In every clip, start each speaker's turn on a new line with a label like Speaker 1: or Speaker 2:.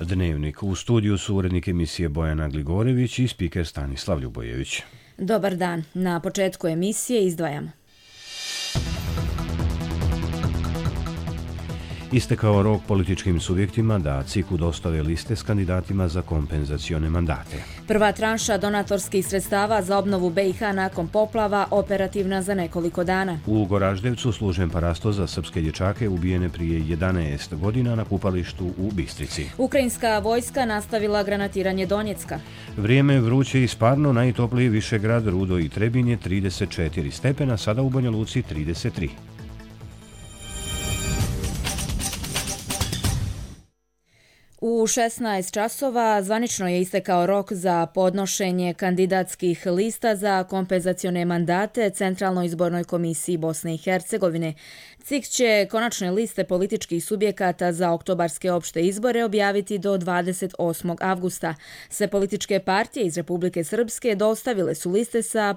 Speaker 1: Dnevnik. U studiju su urednik emisije Bojana Gligorević i spiker Stanislav Ljubojević.
Speaker 2: Dobar dan. Na početku emisije izdvajamo.
Speaker 1: Istekao rok političkim subjektima da CIK-u dostave liste s kandidatima za kompenzacione mandate.
Speaker 2: Prva tranša donatorskih sredstava za obnovu BiH nakon poplava operativna za nekoliko dana.
Speaker 1: U Goraždevcu služen parasto za srpske dječake ubijene prije 11 godina na kupalištu u Bistrici.
Speaker 2: Ukrajinska vojska nastavila granatiranje Donjecka.
Speaker 1: Vrijeme vruće i sparno, najtopliji Višegrad, Rudo i Trebinje 34 stepena, sada u Banja Luci 33.
Speaker 2: U 16 časova zvanično je istekao rok za podnošenje kandidatskih lista za kompenzacione mandate Centralnoj izbornoj komisiji Bosne i Hercegovine. CIK će konačne liste političkih subjekata za oktobarske opšte izbore objaviti do 28. avgusta. Sve političke partije iz Republike Srpske dostavile su liste sa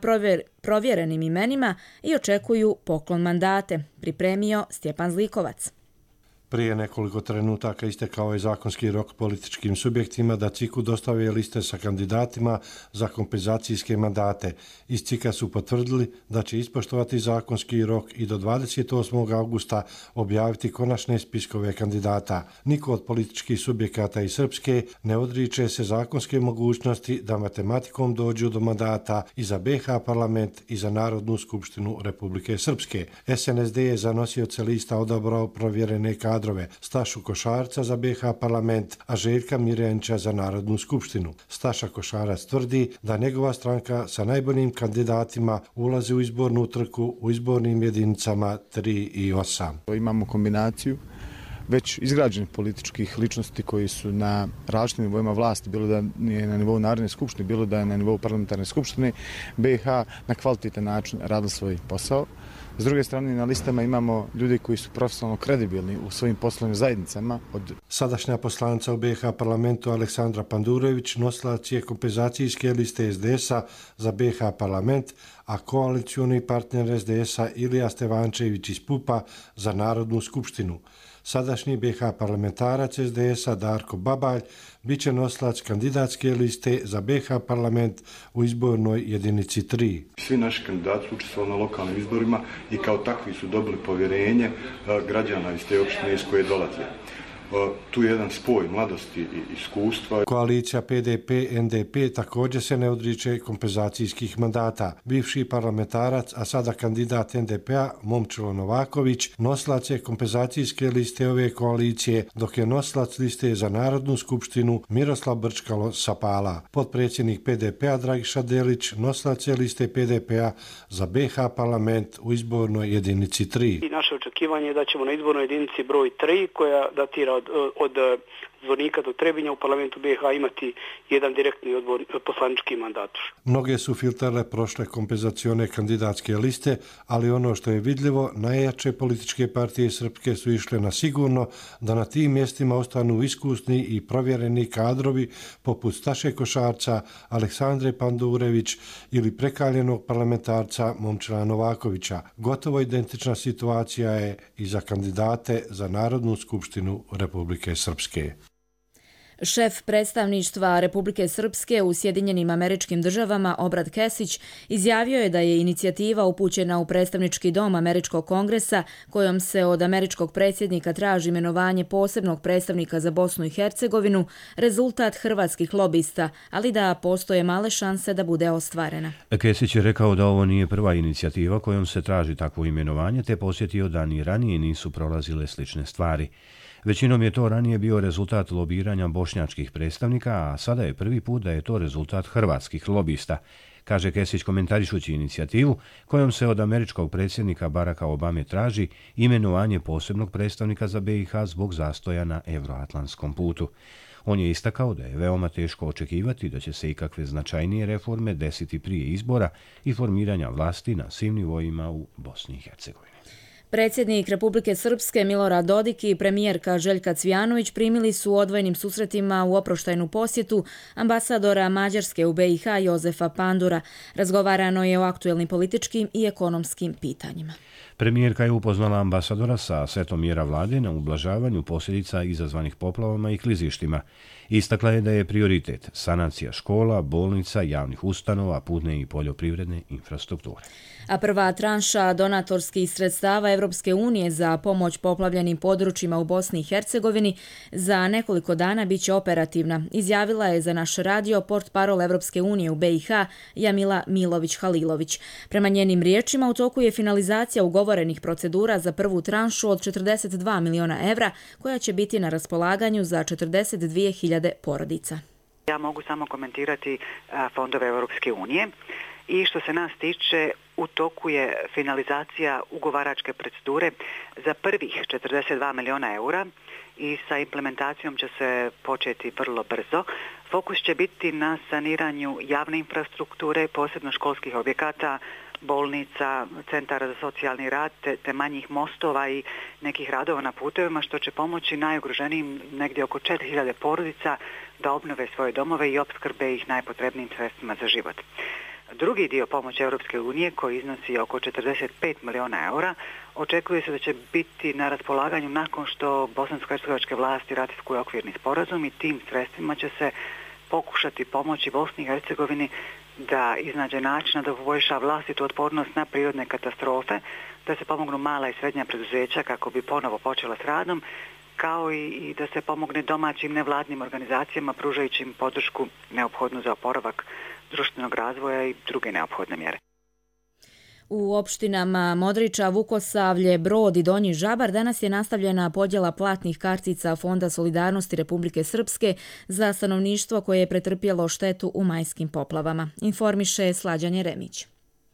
Speaker 2: provjerenim imenima i očekuju poklon mandate, pripremio Stjepan Zlikovac.
Speaker 3: Prije nekoliko trenutaka istekao je zakonski rok političkim subjektima da CIK-u dostave liste sa kandidatima za kompenzacijske mandate. Iz CIK-a su potvrdili da će ispoštovati zakonski rok i do 28. augusta objaviti konačne spiskove kandidata. Niko od političkih subjekata iz Srpske ne odriče se zakonske mogućnosti da matematikom dođu do mandata i za BiH parlament i za Narodnu skupštinu Republike Srpske. SNSD je za nosioce lista odabrao provjerene kadrove Stašu Košarca za BiH parlament, a Željka Mirjanića za Narodnu skupštinu. Staša Košarac tvrdi da njegova stranka sa najboljim kandidatima ulazi u izbornu trku u izbornim jedinicama 3 i 8.
Speaker 4: Imamo kombinaciju već izgrađenih političkih ličnosti koji su na različitim nivoima vlasti, bilo da je na nivou Narodne skupštine, bilo da je na nivou parlamentarne skupštine, BiH na kvalitetan način radili svoj posao. S druge strane, na listama imamo ljudi koji su profesionalno kredibilni u svojim poslovnim zajednicama.
Speaker 3: Sadašnja poslanica u BiH parlamentu Aleksandra Pandurević nosilac je kompenzacijske liste SDS-a za BiH parlament, a koalicioni partner SDS-a Ilija Stevančević iz PUP-a za Narodnu skupštinu. Sadašnji BiH parlamentarac SDS-a Darko Babalj bit će nosilac kandidatske liste za BiH parlament u izbornoj jedinici 3.
Speaker 5: Svi naši kandidati su učestvovali na lokalnim izborima i kao takvi su dobili povjerenje građana iz te opštine iz koje dolaze. Tu je jedan spoj mladosti i iskustva.
Speaker 3: Koalicija PDP-NDP također se ne odriče kompenzacijskih mandata. Bivši parlamentarac, a sada kandidat NDP-a Momčilo Novaković, nosilac je kompenzacijske liste ove koalicije, dok je nosilac liste za Narodnu skupštinu Miroslav Brčkalo sa Pala. Potpredsjednik PDP-a Dragiša Delić nosilac je liste PDP-a za BiH parlament u izbornoj jedinici 3.
Speaker 6: I naše očekivanje je da ćemo na izbornoj jedinici broj 3, koja datira od Zvornika do Trebinja u parlamentu BiH imati jedan direktni poslanički mandat.
Speaker 3: Mnoge su filtrale prošle kompenzacione kandidatske liste, ali ono što je vidljivo, najjače političke partije srpske su išle na sigurno da na tim mjestima ostanu iskusni i provjereni kadrovi poput Staše Košarca, Aleksandre Pandurević ili prekaljenog parlamentarca Momčila Novakovića. Gotovo identična situacija je i za kandidate za Narodnu skupštinu Republike Srpske.
Speaker 2: Šef predstavništva Republike Srpske u Sjedinjenim Američkim Državama Obrad Kesić izjavio je da je inicijativa upućena u predstavnički dom Američkog kongresa kojom se od američkog predsjednika traži imenovanje posebnog predstavnika za Bosnu i Hercegovinu rezultat hrvatskih lobista, ali da postoje male šanse da bude ostvarena.
Speaker 1: Kesić je rekao da ovo nije prva inicijativa kojom se traži takvo imenovanje, te posjetio da ni ranije nisu prolazile slične stvari. Većinom je to ranije bio rezultat lobiranja bošnjačkih predstavnika, a sada je prvi put da je to rezultat hrvatskih lobista, kaže Kesić komentarišući inicijativu kojom se od američkog predsjednika Baracka Obame traži imenovanje posebnog predstavnika za BiH zbog zastoja na euroatlantskom putu. On je istakao da je veoma teško očekivati da će se ikakve značajnije reforme desiti prije izbora i formiranja vlasti na svim nivoima u Bosni i Hercegovini.
Speaker 2: Predsjednik Republike Srpske Milorad Dodik i premijerka Željka Cvijanović primili su u odvojenim susretima u oproštajnu posjetu ambasadora Mađarske u BiH Jozefa Pandura. Razgovarano je o aktuelnim političkim i ekonomskim pitanjima.
Speaker 1: Premijerka je upoznala ambasadora sa setom mjera vlade na ublažavanju posljedica izazvanih poplavama i klizištima. Istakla je da je prioritet sanacija škola, bolnica, javnih ustanova, putne i poljoprivredne infrastrukture.
Speaker 2: A prva tranša donatorskih sredstava Evropske unije za pomoć poplavljenim područjima u Bosni i Hercegovini za nekoliko dana biće operativna, izjavila je za naš radio portparol Evropske unije u BiH Jamila Milović-Halilović. Prema njenim riječima u toku je finalizacija ugovorenih procedura za prvu tranšu od 42 miliona evra koja će biti na raspolaganju za 42.000 porodica.
Speaker 7: Ja mogu samo komentirati fondove Evropske unije. I što se nas tiče, u toku je finalizacija ugovaračke procedure za prvih 42 miliona eura i sa implementacijom će se početi vrlo brzo. Fokus će biti na saniranju javne infrastrukture, posebno školskih objekata, bolnica, centara za socijalni rad, te manjih mostova i nekih radova na putevima, što će pomoći najugroženijim negdje oko 4.000 porodica da obnove svoje domove i opskrbe ih najpotrebnijim sredstvima za život. Drugi dio pomoći Europske unije, koji iznosi oko 45 miliona eura, očekuje se da će biti na raspolaganju nakon što bosansko-hercegovačke vlasti ratifikuju okvirni sporazum i tim sredstvima će se pokušati pomoći Bosni i Hercegovini da iznađe načina da poboljša vlastitu otpornost na prirodne katastrofe, da se pomognu mala i srednja preduzeća kako bi ponovo počela s radom, kao i da se pomogne domaćim nevladnim organizacijama pružajući im podršku neophodnu za oporavak društvenog razvoja i druge neophodne mjere.
Speaker 2: U opštinama Modriča, Vukosavlje, Brod i Donji Žabar danas je nastavljena podjela platnih kartica Fonda solidarnosti Republike Srpske za stanovništvo koje je pretrpjelo štetu u majskim poplavama, informiše Slađan Jeremić.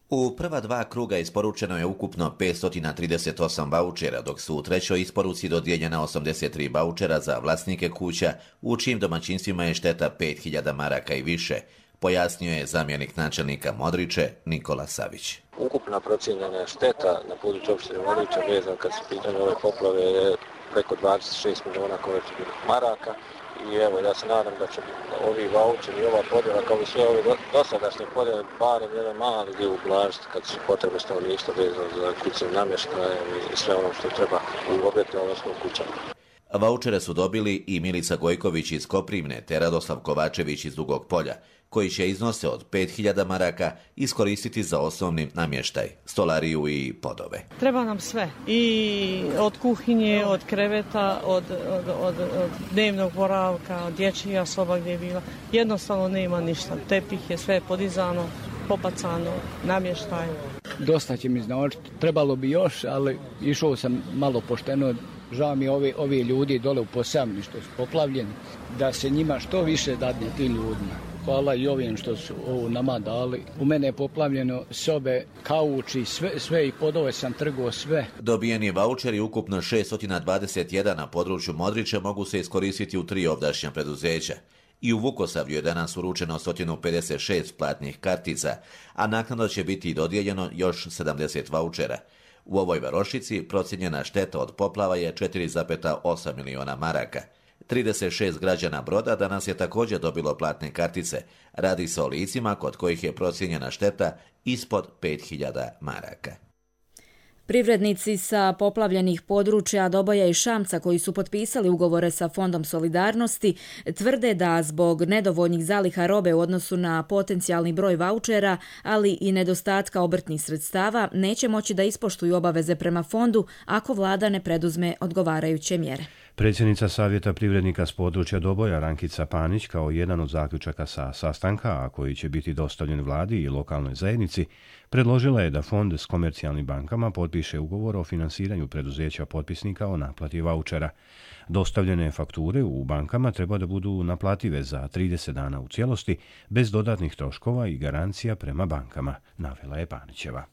Speaker 8: U prva dva kruga isporučeno je ukupno 538 vaučera, dok su u trećoj isporuci dodijeljena 83 vaučera za vlasnike kuća, u čijim domaćinstvima je šteta 5000 maraka i više, pojasnio je zamjenik načelnika Modriče Nikola Savić.
Speaker 9: Ukupna procijenjena šteta na području opštine Modriča vezan kad su pitanje ove poplave je preko 26 miliona konvertibilnih maraka. I evo, ja se nadam da će ovi vaučeri i ova podjela, kao i sve ove dosadašnje podjele, barem jedan mali dio ublažiti kad su potrebe stanovništva vezano za kućnim namještajem i sve ono što treba u objektima, odnosno u kućama.
Speaker 8: Vaučere su dobili i Milica Gojković iz Koprivne te Radoslav Kovačević iz Dugog Polja, koji će iznose od 5000 maraka iskoristiti za osnovni namještaj, stolariju i podove.
Speaker 10: Treba nam sve, i od kuhinje, od kreveta, od dnevnog boravka, od dječjih soba gdje je bila. Jednostavno nema ništa, tepih je sve podizano, popacano, namještaj.
Speaker 11: Dosta će mi znači, trebalo bi još, ali išao sam malo pošteno. Žao mi ovi ljudi dole u Posavini što su poplavljeni, da se njima što više dadne tim ljudima. Hvala i ovim što su ovo nama dali. U mene je poplavljeno sobe, kauči, sve i podove sam trgao sve.
Speaker 8: Dobijeni vaučeri, ukupno 621 na području Modrića, mogu se iskoristiti u 3 ovdašnja preduzeća. I u Vukosavlju je danas uručeno 156 platnih kartica, a naknadno će biti dodijeljeno još 70 vaučera. U ovoj varošici procijenjena šteta od poplava je 4,8 miliona maraka. 36 građana Broda danas je također dobilo platne kartice. Radi se o licima kod kojih je procijenjena šteta ispod 5000 maraka.
Speaker 2: Privrednici sa poplavljenih područja Doboja i Šamca koji su potpisali ugovore sa Fondom solidarnosti tvrde da zbog nedovoljnih zaliha robe u odnosu na potencijalni broj vaučera, ali i nedostatka obrtnih sredstava, neće moći da ispoštuju obaveze prema fondu ako vlada ne preduzme odgovarajuće mjere.
Speaker 1: Predsjednica Savjeta privrednika s područja Doboja Rankica Panić kao jedan od zaključaka sa sastanka, a koji će biti dostavljen vladi i lokalnoj zajednici, predložila je da fond s komercijalnim bankama potpiše ugovor o finansiranju preduzeća potpisnika o naplati vaučera. Dostavljene fakture u bankama treba da budu naplative za 30 dana u cijelosti, bez dodatnih troškova i garancija prema bankama, navela je Panićeva.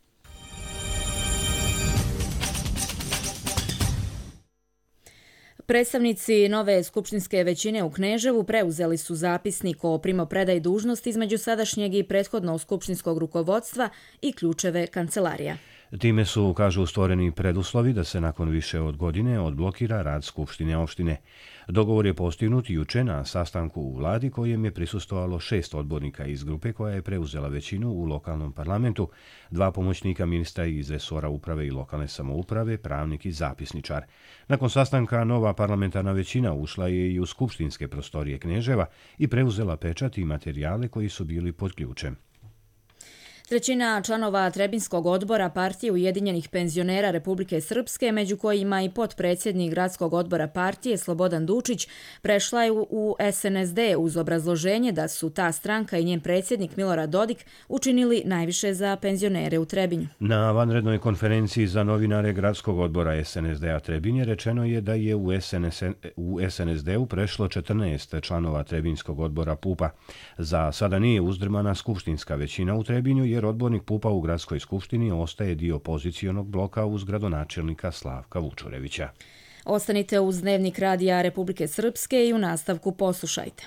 Speaker 2: Predstavnici nove skupštinske većine u Kneževu preuzeli su zapisnik o primopredaji dužnosti između sadašnjeg i prethodnog skupštinskog rukovodstva i ključeve kancelarija.
Speaker 1: Time su, kažu, stvoreni preduslovi da se nakon više od godine odblokira rad Skupštine opštine. Dogovor je postignut juče na sastanku u vladi kojem je prisustvovalo 6 odbornika iz grupe koja je preuzela većinu u lokalnom parlamentu, 2 pomoćnika ministra iz resora uprave i lokalne samouprave, pravnik i zapisničar. Nakon sastanka nova parlamentarna većina ušla je i u skupštinske prostorije Kneževa i preuzela pečat i materijale koji su bili pod ključem.
Speaker 2: Trećina članova Trebinskog odbora partije Ujedinjenih penzionera Republike Srpske, među kojima i potpredsjednik gradskog odbora partije Slobodan Dučić, prešla je u SNSD uz obrazloženje da su ta stranka i njen predsjednik Milorad Dodik učinili najviše za penzionere u Trebinju.
Speaker 1: Na vanrednoj konferenciji za novinare gradskog odbora SNSD-a Trebinje rečeno je da je u SNSD-u prešlo 14 članova Trebinskog odbora PUP-a. Za sada nije uzdrmana skupštinska većina u Trebinju jer odbornik PUP-a u gradskoj skupštini ostaje dio pozicionog bloka uz gradonačelnika Slavka Vučurevića.
Speaker 2: Ostanite uz Dnevnik radija Republike Srpske i u nastavku poslušajte.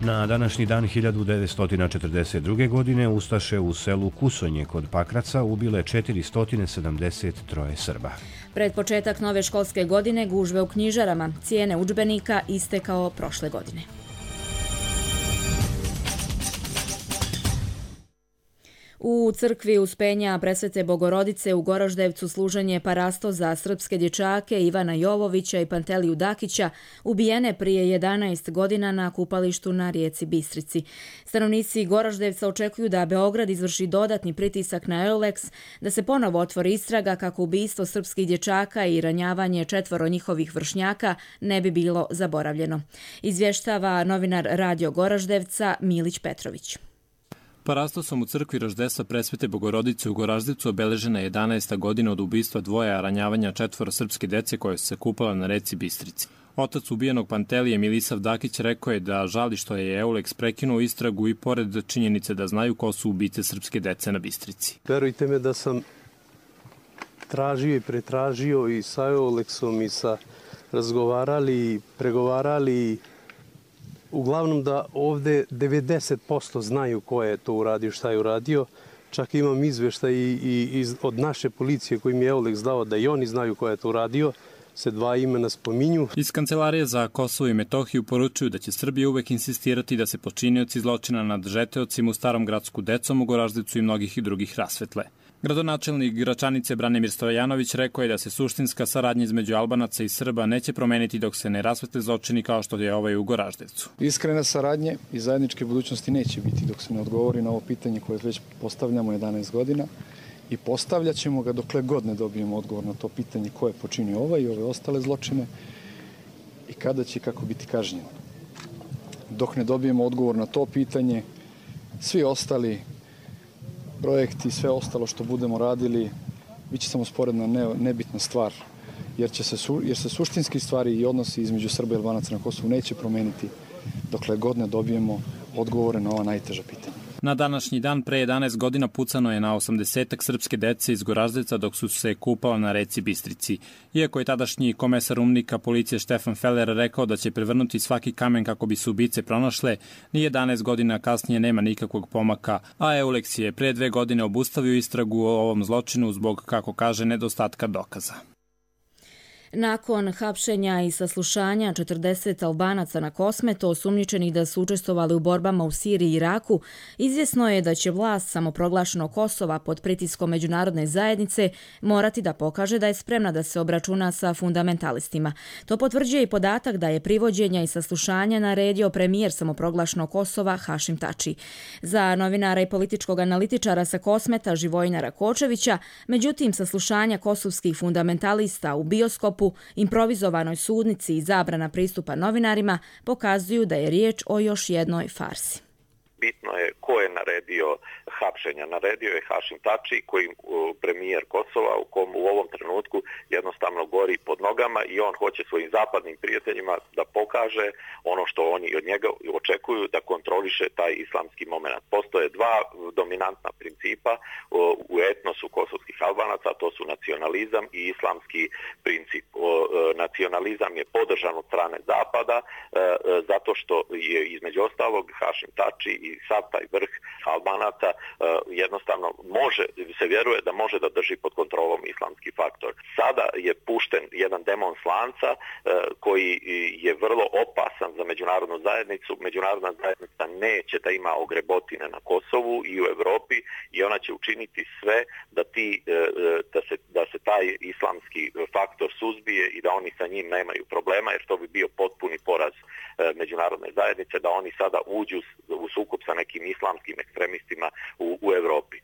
Speaker 1: Na današnji dan 1942. godine ustaše u selu Kusonje kod Pakraca ubile 473 Srba.
Speaker 2: Pred početak nove školske godine gužve u knjižarama, cijene udžbenika iste kao prošle godine. U crkvi Uspenja Presvete Bogorodice u Goraždevcu služenje parasto za srpske dječake Ivana Jovovića i Panteliju Dakića, ubijene prije 11 godina na kupalištu na rijeci Bistrici. Stanovnici Goraždevca očekuju da Beograd izvrši dodatni pritisak na Eulex, da se ponovo otvori istraga kako ubistvo srpskih dječaka i ranjavanje 4 njihovih vršnjaka ne bi bilo zaboravljeno. Izvještava novinar Radio Goraždevca Milić Petrović.
Speaker 12: Parastosom u crkvi Roždesa Presvete Bogorodice u Goraždevcu obeležena je 11. godina od ubistva 2 ranjavanja 4 srpske dece koje su se kupala na reci Bistrici. Otac ubijenog Pantelije Milisav Dakić rekao je da žali što je Eulex prekinuo istragu i pored činjenice da znaju ko su ubice srpske dece na Bistrici.
Speaker 13: Verujte me da sam tražio i pretražio i sa Eulexom i sa razgovarali, pregovarali. Uglavnom da ovde 90% znaju ko je to uradio, šta je uradio. Čak imam izveštaj i od naše policije koji mi je Eulex dao da i oni znaju ko je to uradio. Se 2 imena spominju.
Speaker 12: Iz Kancelarije za Kosovo i Metohiju poručuju da će Srbija uvek insistirati da se počinioci zločina nad žeteocima u Starom Gradsku decom u Goraždevcu i mnogih drugih rasvetle. Gradonačelnik Gračanice Branimir Stojanović rekao je da se suštinska saradnja između Albanaca i Srba neće promeniti dok se ne rasvetle zločini kao što je ovaj u Goraždevcu.
Speaker 14: Iskrene saradnje i zajedničke budućnosti neće biti dok se ne odgovori na ovo pitanje koje već postavljamo 11 godina i postavljat ćemo ga dokle god ne dobijemo odgovor na to pitanje ko je počinio ovaj i ove ostale zločine i kada će kako biti kažnjeno. Dok ne dobijemo odgovor na to pitanje, svi ostali projekti, sve ostalo što budemo radili, biće samo sporedna nebitna stvar, jer se suštinski stvari i odnosi između Srba i Albanaca na Kosovu neće promeniti dokle god ne dobijemo odgovore na ova najteža pitanja.
Speaker 12: Na današnji dan pre 11 godina pucano je na 80-ak srpske dece iz Goraždevca dok su se kupala na reci Bistrici. Iako je tadašnji komesar umnika policije Štefan Feller rekao da će prevrnuti svaki kamen kako bi se ubice pronašle, ni 11 godina kasnije nema nikakvog pomaka, a Eulex je pre 2 godine obustavio istragu o ovom zločinu zbog, kako kaže, nedostatka dokaza.
Speaker 2: Nakon hapšenja i saslušanja 40 Albanaca na Kosmetu osumnjičenih da su učestvovali u borbama u Siriji i Iraku, izvjesno je da će vlast samoproglašenog Kosova pod pritiskom međunarodne zajednice morati da pokaže da je spremna da se obračuna sa fundamentalistima. To potvrđuje i podatak da je privođenja i saslušanja naredio premijer samoproglašenog Kosova Hašim Tači. Za novinara i političkog analitičara sa Kosmeta Živojina Rakočevića, međutim saslušanja kosovskih fundamentalista u bioskopu, improvizovanoj sudnici i zabrana pristupa novinarima pokazuju da je riječ o još jednoj farsi.
Speaker 15: Bitno je ko je naredio hapšenja. Naredio je Hašim Tači, koji premijer Kosova, u kom u ovom trenutku jednostavno gori pod nogama i on hoće svojim zapadnim prijateljima da pokaže ono što oni od njega očekuju, da kontroliše taj islamski moment. Postoje 2 dominantna principa u etnosu kosovskih Albanaca, to su nacionalizam i islamski princip. nacionalizam je podržan od strane Zapada zato što je između ostalog Hašim Tači i sav taj vrh Albanaca jednostavno se vjeruje da može da drži pod kontrolom islamski faktor. Sada je pušten jedan demon slanca koji je vrlo opasan za međunarodnu zajednicu. Međunarodna zajednica neće da ima ogrebotine na Kosovu i u Europi i ona će učiniti sve da se taj islamski faktor suzbije i da oni sa njim nemaju problema, jer to bi bio potpuni poraz međunarodne zajednice da oni sada uđu u sukob sa nekim islamskim ekstremistima u Europi.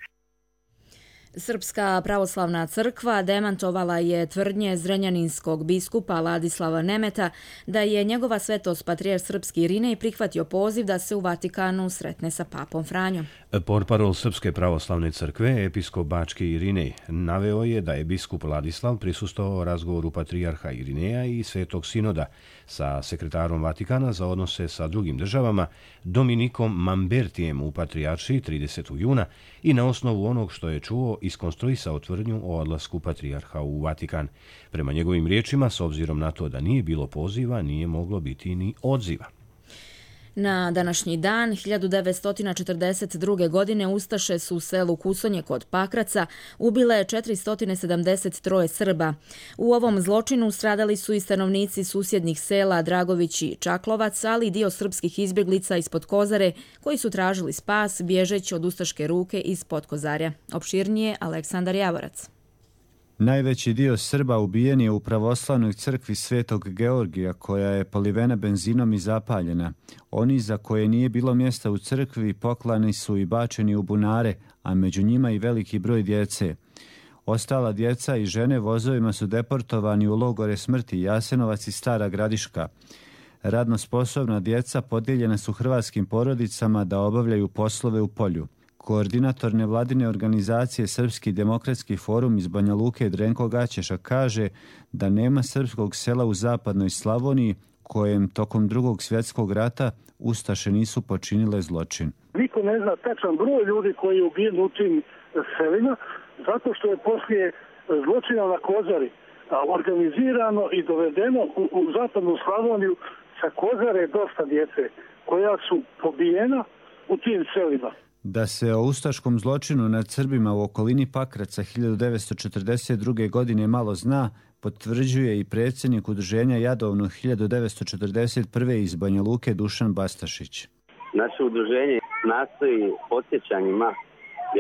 Speaker 2: Srpska pravoslavna crkva demantovala je tvrdnje zrenjaninskog biskupa Ladislava Nemeta da je njegova svetost patrijarh srpski Irinej prihvatio poziv da se u Vatikanu sretne sa papom Franjom.
Speaker 1: Portparol Srpske pravoslavne crkve, episkop Bački Irinej, naveo je da je biskup Ladislav prisustvovao razgovoru patrijarha Irineja i Svetog sinoda sa sekretarom Vatikana za odnose sa drugim državama Dominikom Mambertijem u patrijaršiji 30. juna i na osnovu onog što je čuo iskonstruisao tvrdnju o odlasku patrijarha u Vatikan. Prema njegovim riječima, s obzirom na to da nije bilo poziva, nije moglo biti ni odziva.
Speaker 2: Na današnji dan, 1942. godine, ustaše su u selu Kusonje kod Pakraca ubile 473 Srba. U ovom zločinu stradali su i stanovnici susjednih sela Dragović i Čaklovac, ali i dio srpskih izbjeglica ispod Kozare koji su tražili spas bježeći od ustaške ruke iz Podkozarja. Opširnije Aleksandar Javorac.
Speaker 16: Najveći dio Srba ubijen je u pravoslavnoj crkvi Svetog Georgija, koja je polivena benzinom i zapaljena. Oni za koje nije bilo mjesta u crkvi poklani su i bačeni u bunare, a među njima i veliki broj djece. Ostala djeca i žene vozovima su deportovani u logore smrti Jasenovac i Stara Gradiška. Radno sposobna djeca podijeljena su hrvatskim porodicama da obavljaju poslove u polju. Koordinator nevladine organizacije Srpski demokratski forum iz Banja Luke Drenko Gaćeša kaže da nema srpskog sela u zapadnoj Slavoniji kojem tokom Drugog svjetskog rata ustaše nisu počinile zločin.
Speaker 17: Niko ne zna tačan broj ljudi koji je ubijen u tim selima, zato što je poslije zločina na Kozari organizirano i dovedeno u zapadnu Slavoniju sa Kozare dosta djece koja su pobijena u tim selima.
Speaker 16: Da se o ustaškom zločinu nad Srbima u okolini Pakraca 1942. godine malo zna, potvrđuje i predsjednik udruženja Jadovno 1941. iz Banja Luke Dušan Bastašić.
Speaker 18: Naše udruženje nastoji podsjećanjima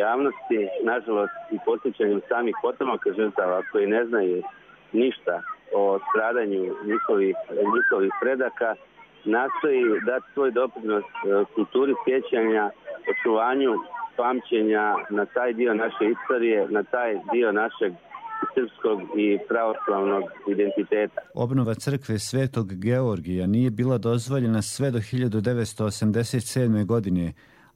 Speaker 18: javnosti, nažalost i podsjećanjem samih potomaka žrtava koji ne znaju ništa o stradanju njihovih predaka, nastoji dati svoj doprinos kulturi sjećanja, očuvanju pamćenja na taj dio naše istorije, na taj dio našeg srpskog i pravoslavnog identiteta.
Speaker 16: Obnova crkve Svetog Georgija nije bila dozvoljena sve do 1987. godine,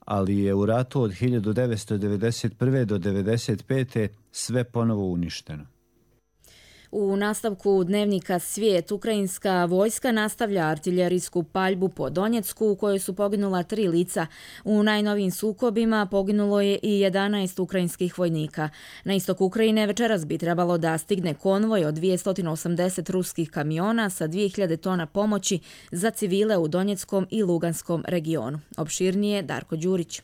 Speaker 16: ali je u ratu od 1991. do 1995. sve ponovo uništeno.
Speaker 2: U nastavku dnevnika Svijet, ukrajinska vojska nastavlja artiljerijsku paljbu po Donjecku u kojoj su poginula 3 lica. U najnovijim sukobima poginulo je i 11 ukrajinskih vojnika. Na istok Ukrajine večeras bi trebalo da stigne konvoj od 280 ruskih kamiona sa 2000 tona pomoći za civile u Donjeckom i Luganskom regionu. Opširnije Darko Đurić.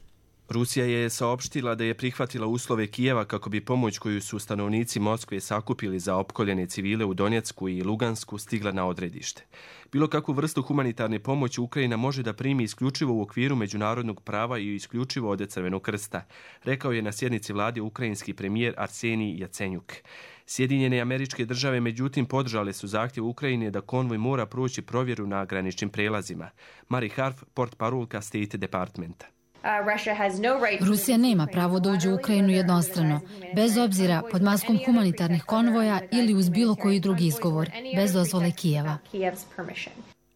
Speaker 19: Rusija je saopštila da je prihvatila uslove Kijeva kako bi pomoć koju su stanovnici Moskve sakupili za opkoljene civile u Donjecku i Lugansku stigla na odredište. Bilo kakvu vrstu humanitarne pomoći Ukrajina može da primi isključivo u okviru međunarodnog prava i isključivo od Crvenog krsta, rekao je na sjednici vlade ukrajinski premijer Arsenij Jacenjuk. Sjedinjene Američke Države međutim podržale su zahtjev Ukrajine da konvoj mora proći provjeru na graničnim prelazima. Mari Harf, portparolka State Departmenta.
Speaker 20: Rusija nema pravo da uđe u Ukrajinu jednostrano, bez obzira pod maskom humanitarnih konvoja ili uz bilo koji drugi izgovor, bez dozvole Kijeva.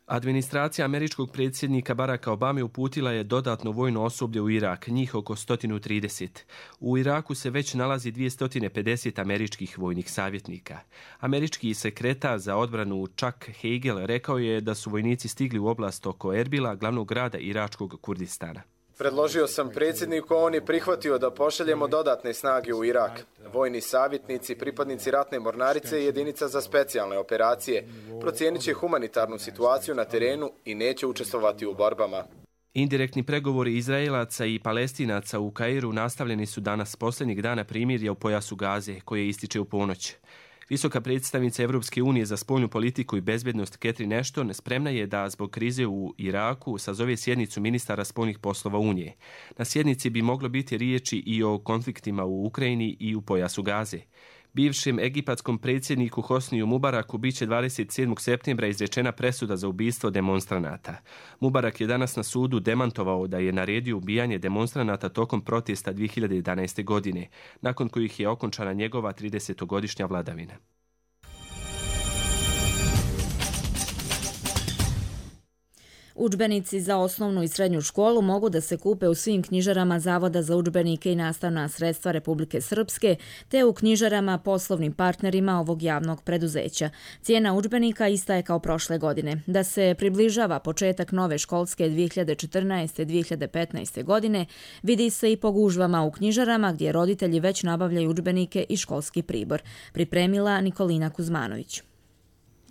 Speaker 19: Administracija američkog predsjednika Baracka Obame uputila je dodatno vojno osoblje u Irak, njih oko 130. U Iraku se već nalazi 250 američkih vojnih savjetnika. Američki sekretar za odbranu Chuck Hagel rekao je da su vojnici stigli u oblast oko Erbila, glavnog grada iračkog Kurdistana.
Speaker 21: Predložio sam predsjedniku, on je prihvatio da pošaljemo dodatne snage u Irak. Vojni savjetnici, pripadnici ratne mornarice i jedinica za specijalne operacije procijenit će humanitarnu situaciju na terenu i neće učestvovati u borbama.
Speaker 19: Indirektni pregovori Izraelaca i Palestinaca u Kairu nastavljeni su danas posljednjeg dana primirja u pojasu Gaze, koje ističe u ponoć. Visoka predstavnica Evropske unije za spoljnu politiku i bezbednost Catherine Ashton spremna je da zbog krize u Iraku sazove sjednicu ministara spoljnih poslova Unije. Na sjednici bi moglo biti riječi i o konfliktima u Ukrajini i u pojasu Gaze. Bivšem egipatskom predsjedniku Hosniju Mubaraku biće 27. septembra izrečena presuda za ubistvo demonstranata. Mubarak je danas na sudu demantovao da je naredio ubijanje demonstranata tokom protesta 2011. godine, nakon kojih je okončana njegova 30-godišnja vladavina.
Speaker 2: Udžbenici za osnovnu i srednju školu mogu da se kupe u svim knjižarama Zavoda za udžbenike i nastavna sredstva Republike Srpske, te u knjižarama poslovnim partnerima ovog javnog preduzeća. Cijena udžbenika ista je kao prošle godine. Da se približava početak nove školske 2014-2015. godine, vidi se i po gužvama u knjižarama gdje roditelji već nabavljaju udžbenike i školski pribor. Pripremila Nikolina Kuzmanović.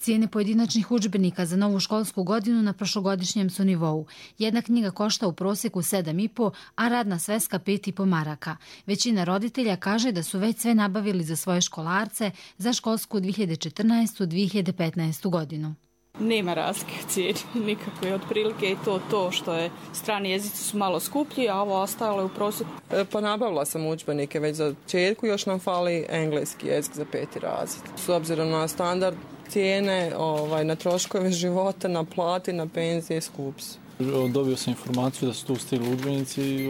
Speaker 20: Cijene pojedinačnih udžbenika za novu školsku godinu na prošlogodišnjem su nivou. Jedna knjiga košta u prosjeku 7,5, a radna sveska 5,5 maraka. Većina roditelja kaže da su već sve nabavili za svoje školarce za školsku 2014-2015. godinu.
Speaker 22: Nema razlike u cijeni nikakve, otprilike i to što je strani jezici su malo skuplji, a ovo ostalo je u prosjeku.
Speaker 23: Pa nabavila sam udžbenike već za četku, još nam fali engleski jezik za 5. razred. S obzirom na standard cijene, na troškove života, na plati, na penzije, skupi su.
Speaker 24: Dobio sam informaciju da su tu stigli udžbenici i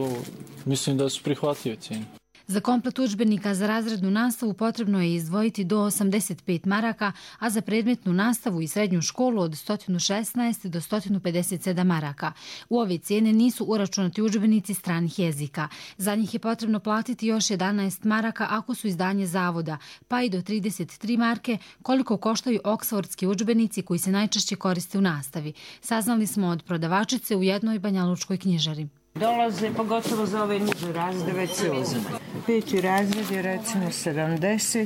Speaker 24: mislim da su prihvatljive cijene.
Speaker 20: Za komplet udžbenika za razrednu nastavu potrebno je izdvojiti do 85 maraka, a za predmetnu nastavu i srednju školu od 116 do 157 maraka. U ove cijene nisu uračunati udžbenici stranih jezika. Za njih je potrebno platiti još 11 maraka ako su izdanje zavoda, pa i do 33 marke koliko koštaju oksfordski udžbenici koji se najčešće koriste u nastavi. Saznali smo od prodavačice u jednoj banjalučkoj knjižari.
Speaker 25: Dolaze, pogotovo za ove niže razrede, već se uzme. 5. razred je recimo 70,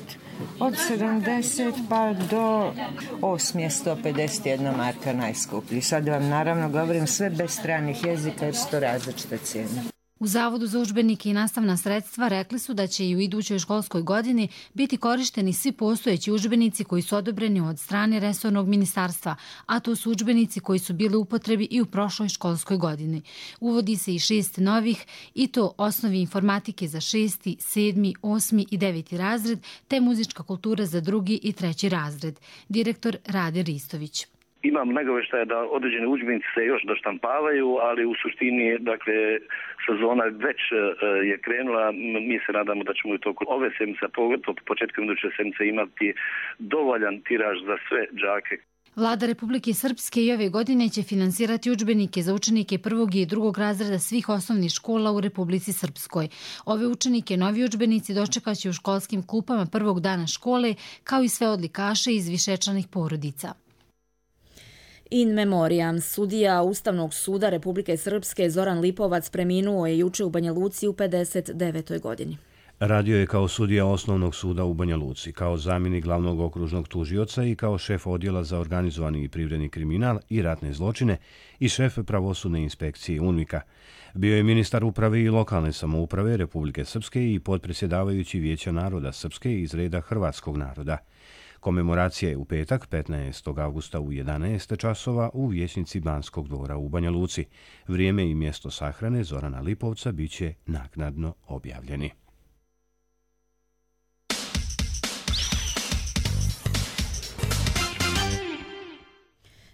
Speaker 25: od 70 pa do 8 je 151 marka najskuplji. Sad vam naravno govorim sve bez stranih jezika jer su to različite cijene.
Speaker 20: U Zavodu za udžbenike i nastavna sredstva rekli su da će i u idućoj školskoj godini biti korišteni svi postojeći udžbenici koji su odobreni od strane resornog ministarstva, a to su udžbenici koji su bili u upotrebi i u prošloj školskoj godini. Uvodi se i 6 novih, i to osnovi informatike za 6., 7., 8. i 9. razred, te muzička kultura za 2. i 3. razred. Direktor Rade Ristović.
Speaker 26: Imam nagoveštaja da određeni udžbenici se još doštampavaju, ali u suštini, dakle, sezona već je krenula. Mi se nadamo da ćemo u toku ove sedmice, pogotovo početkom iduće sedmice, imati dovoljan tiraž za sve đake.
Speaker 20: Vlada Republike Srpske i ove godine će finansirati udžbenike za učenike 1. i 2. razreda svih osnovnih škola u Republici Srpskoj. Ove učenike novi udžbenici dočekaće u školskim klupama prvog dana škole, kao i sve odlikaše iz višečlanih porodica.
Speaker 2: In memoriam, sudija Ustavnog suda Republike Srpske Zoran Lipovac preminuo je juče u Banja Luci u 59. godini.
Speaker 1: Radio je kao sudija Osnovnog suda u Banja Luci, kao zamjenik glavnog okružnog tužioca i kao šef odjela za organizovani i privredni kriminal i ratne zločine i šef pravosudne inspekcije UNMIK-a. Bio je ministar uprave i lokalne samouprave Republike Srpske i potpredsjedavajući Vijeća naroda Srpske iz reda hrvatskog naroda. Komemoracija je u petak, 15. avgusta u 11 časova u vijećnici Banskog dvora u Banja Luci. Vrijeme i mjesto sahrane Zorana Lipovca biće naknadno objavljeni.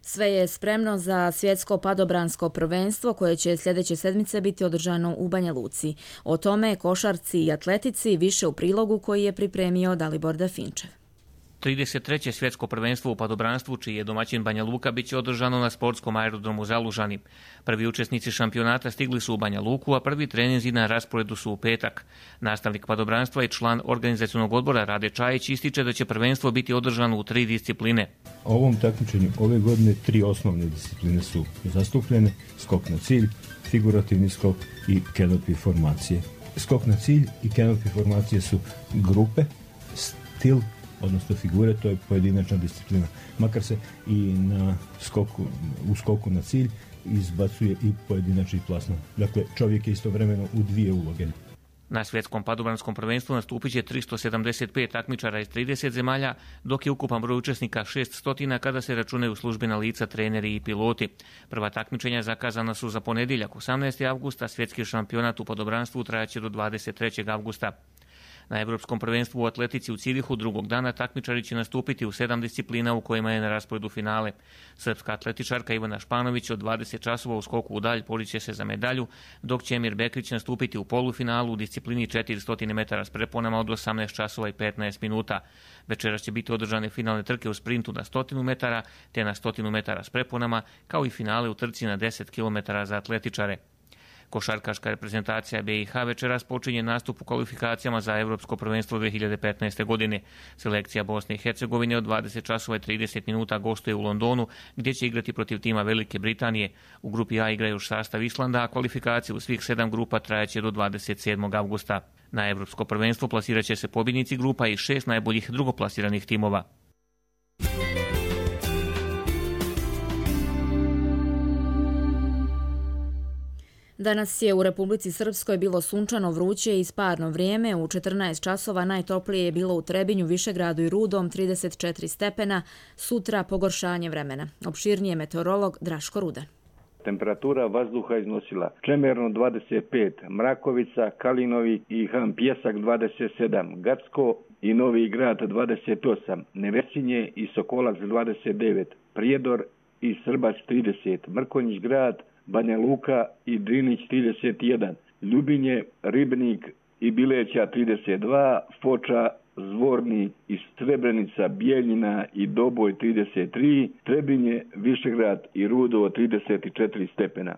Speaker 2: Sve je spremno za svjetsko padobransko prvenstvo koje će sljedeće sedmice biti održano u Banja Luci. O tome košarci i atletici više u prilogu koji je pripremio Dalibor Dafinčev.
Speaker 3: 33. svjetsko prvenstvo u padobranstvu, čiji je domaćin Banja Luka, bit će održano na sportskom aerodromu Zalužani. Prvi učesnici šampionata stigli su u Banja Luku, a prvi treninzi na rasporedu su u petak. Nastavnik padobranstva i član organizacionog odbora Rade Čajić ističe da će prvenstvo biti održano u 3 discipline.
Speaker 4: U ovom takmičenju ove godine 3 osnovne discipline su zastupljene: skok na cilj, figurativni skok i canopy formacije. Skok na cilj i canopy formacije su grupe, stil, odnosno figure, to je pojedinačna disciplina. Makar se i u skoku na cilj izbacuje i pojedinačni plasman. Dakle, čovjek je istovremeno u 2 uloge.
Speaker 3: Na svjetskom padobranskom prvenstvu nastupit će 375 takmičara iz 30 zemalja, dok je ukupan broj učesnika 600 kada se računaju službena lica, treneri i piloti. Prva takmičenja zakazana su za ponedjeljak 18. avgusta, svjetski šampionat u padobranstvu trajaće do 23. avgusta. Na Europskom prvenstvu u atletici u Cirihu drugog dana takmičari će nastupiti u 7 disciplina u kojima je na rasporedu finale. Srpska atletičarka Ivana Španović od 20 časova u skoku u dalj boriće se za medalju, dok će Emir Bekrić nastupiti u polufinalu u disciplini 400 metara s preponama od 18 časova i 15 minuta. Večeras će biti održane finalne trke u sprintu na 100 metara te na 100 metara s preponama, kao i finale u trci na 10 km za atletičare. Košarkaška reprezentacija BiH večeras počinje nastup u kvalifikacijama za Europsko prvenstvo 2015. godine. Selekcija Bosne i Hercegovine od 20 časova i 30 minuta gostuje u Londonu, gdje će igrati protiv tima Velike Britanije. U grupi A igra još sastav Islanda, a kvalifikacije u svih 7 grupa trajaće do 27. avgusta. Na Europsko prvenstvo plasirat će se pobjednici grupa i 6 najboljih drugoplasiranih timova.
Speaker 2: Danas je u Republici Srpskoj bilo sunčano, vruće i sparno vrijeme. U 14 časova najtoplije je bilo u Trebinju, Višegradu i Rudom 34 stepena. Sutra pogoršanje vremena. Opširnije meteorolog Draško Rudan.
Speaker 5: Temperatura vazduha iznosila Čemerno 25, Mrakovica, Kalinovi i Han Pjesak 27, Gacko i Novi Grad 28, Nevesinje i Sokolac 29, Prijedor i Srbac 30, Mrkonjić Grad, Banja Luka i Drinić 31, Ljubinje, Ribnik i Bileća 32, Foča, Zvornik i Srebrenica, Bijeljina i Doboj 33, Trebinje, Višegrad i Rudovo 34 stepena.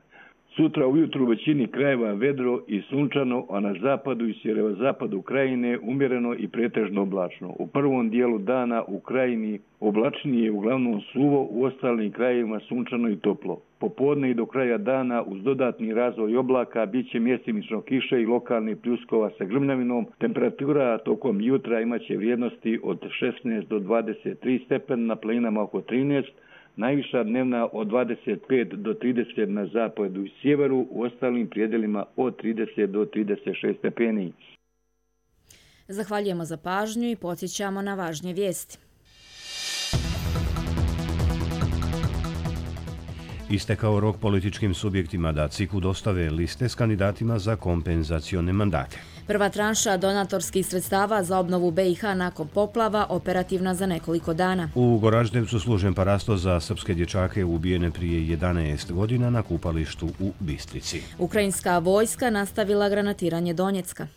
Speaker 5: Sutra ujutru u većini krajeva vedro i sunčano, a na zapadu i sjeverozapadu krajine umjereno i pretežno oblačno. U prvom dijelu dana u krajini oblačnije, uglavnom suvo, u ostalim krajevima sunčano i toplo. Popodne i do kraja dana uz dodatni razvoj oblaka bit će mjestimično kiše i lokalnih pljuskova sa grmljavinom. Temperatura tokom jutra imaće vrijednosti od 16 do 23 stepena, na planinama oko 13, najviša dnevna od 25 do 30 na zapadu i sjeveru, u ostalim prijedelima od 30 do 36 stepeni.
Speaker 2: Zahvaljujemo za pažnju i podsjećamo na važnije vijesti.
Speaker 1: Istekao rok političkim subjektima da CIK-u dostave liste s kandidatima za kompenzacione mandate.
Speaker 2: Prva tranša donatorskih sredstava za obnovu BiH nakon poplava operativna za nekoliko dana.
Speaker 1: U Goraždevcu služen parasto za srpske dječake ubijene prije 11 godina na kupalištu u Bistrici.
Speaker 2: Ukrajinska vojska nastavila granatiranje Donjecka.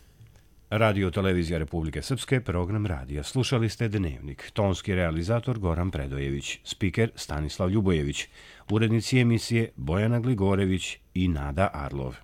Speaker 1: Radio Televizija Republike Srpske, program radija. Slušali ste Dnevnik. Tonski realizator Goran Predojević, spiker Stanislav Ljubojević, urednici emisije Bojana Gligorević i Nada Arlov.